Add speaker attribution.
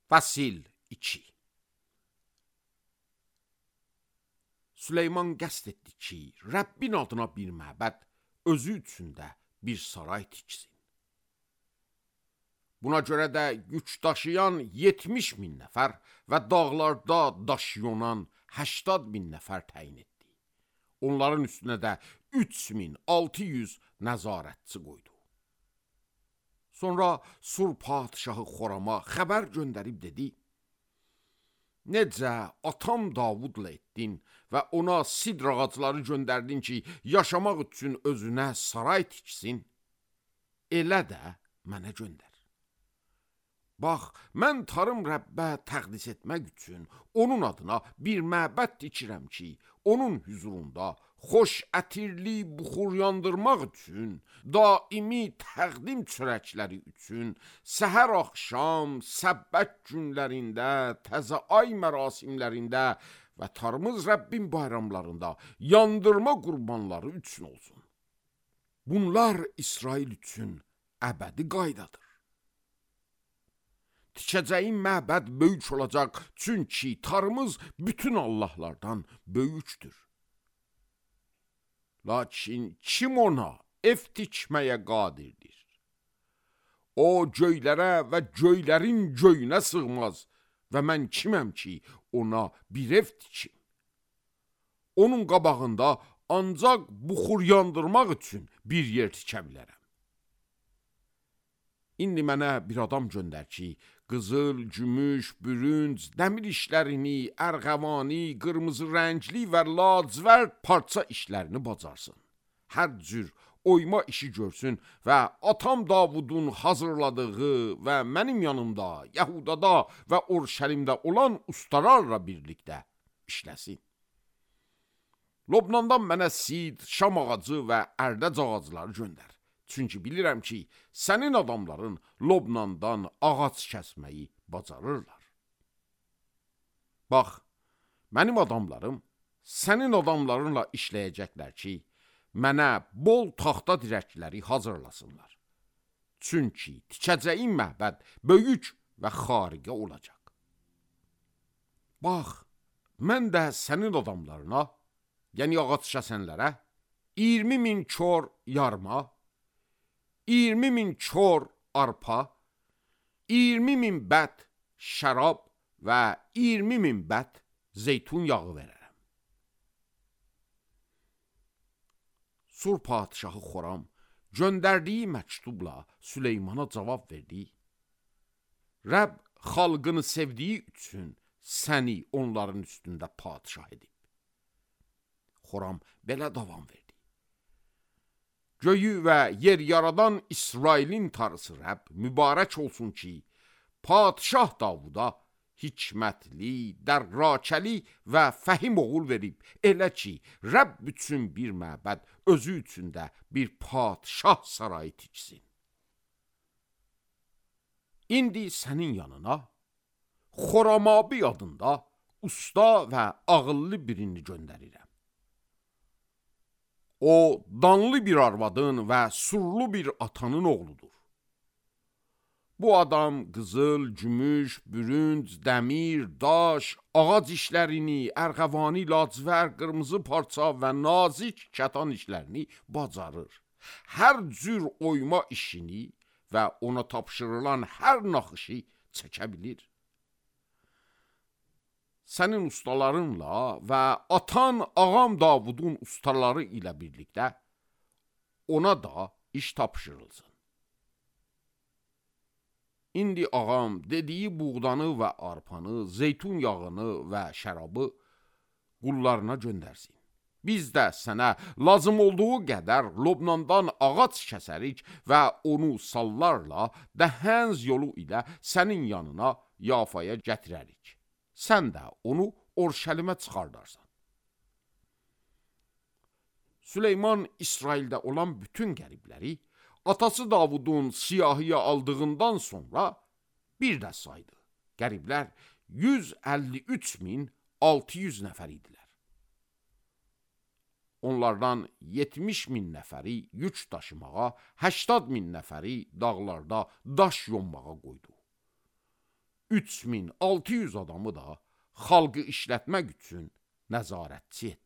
Speaker 1: Fəsil 2. Süleyman qəsd etdi ki, Rəbbin adına bir məbəd, özü üçün də bir saray tiksin. Buna görə də yük daşıyan 70 min nəfər və dağlarda daş yonan 80 min nəfər təyin etdi. Onların üstünə də 3600 nəzarətçi qoydu. Sonra Sur padişahı Xorama xəbər göndərib dedi: Necə atam Davudla etdin və ona sidr ağacları göndərdin ki, yaşamaq üçün özünə saray tiksin, elə də mənə göndər. Bax, mən tarım Rəbbə təqdis etmək üçün onun adına bir məbəd tikirəm ki, onun hüzurunda xoş ətirli buxur yandırmaq üçün, daimi təqdim çörəkləri üçün, səhər axşam, səbbət günlərində, təzə ay mərasimlərində və tarımız Rəbbin bayramlarında yandırma qurbanları üçün olsun. Bunlar İsrail üçün əbədi qaydadır. Tikəcəyin məbəd böyük olacaq, çünki tarımız bütün Allahlardan böyükdür. Lakin kim ona ev tikməyə qadirdir? O göylərə və göylərin göyünə sığmaz və mən kiməm ki, ona bir ev tikim? Onun qabağında ancaq buxur yandırmaq üçün bir yer tikə bilərəm. İndi mənə bir adam göndər ki, qızıl, gümüş, bürünc, dəmir işlərini, ərğəvani, qırmızı rəngli və lacivərd parça işlərini bacarsın. Hər cür oyma işi görsün və atam Davudun hazırladığı və mənim yanımda, Yəhudada və Urşəlimdə olan ustalarla birlikdə işləsin. Lobnandan mənə sid, şam ağacı və ərdəc ağacları göndər. Çünki bilirəm ki, sənin adamların Lobnandan ağac kəsməyi bacarırlar. Bax, mənim adamlarım sənin adamlarınla işləyəcəklər ki, mənə bol taxta dirəkləri hazırlasınlar. Çünki tikəcəyim məbəd böyük və xariqə olacaq. Bax, mən də sənin adamlarına, yəni ağac kəsənlərə 20 min kör yarma, 20 min kör arpa, 20 min bət şərab və 20 min bət zeytun yağı verərəm. Sur padişahı Xoram göndərdiyi məktubla Süleymana cavab verdi: Rəbb xalqını sevdiyi üçün səni onların üstündə padişah edib. Xoram belə davam verdi: Göyü və yer yaradan İsrailin tarısı Rəbb mübarək olsun ki, padişah Davuda hikmətli, dərrakəli və fəhim oğul verib, elə ki, Rəbb üçün bir məbəd, özü üçün də bir padişah sarayı tiksin. İndi sənin yanına Xoramabi adında usta və ağıllı birini göndərirəm. O, danlı bir arvadın və surlu bir atanın oğludur. Bu adam qızıl, gümüş, bürünc, dəmir, daş, ağac işlərini, ərğəvani, lacivər, qırmızı parça və nazik kətan işlərini bacarır. Hər cür oyma işini və ona tapşırılan hər naxışı çəkə bilir. Sənin ustalarınla və atan ağam Davudun ustaları ilə birlikdə ona da iş tapşırılsın. İndi ağam dediyi buğdanı və arpanı, zeytun yağını və şərabı qullarına göndərsin. Biz də sənə lazım olduğu qədər Lobnandan ağac kəsərik və onu sallarla dəhənz yolu ilə sənin yanına Yafaya gətirərik. Sən də onu Orşəlimə çıxardarsan. Süleyman İsraildə olan bütün qəribləri atası Davudun siyahıya aldığından sonra bir də saydı. Qəriblər 153.600 nəfər idilər. Onlardan 70.000 nəfəri yük daşımağa, 80.000 nəfəri dağlarda daş yonmağa qoydu. 3600 adamı da xalqı işlətmək üçün nəzarətçi etdi.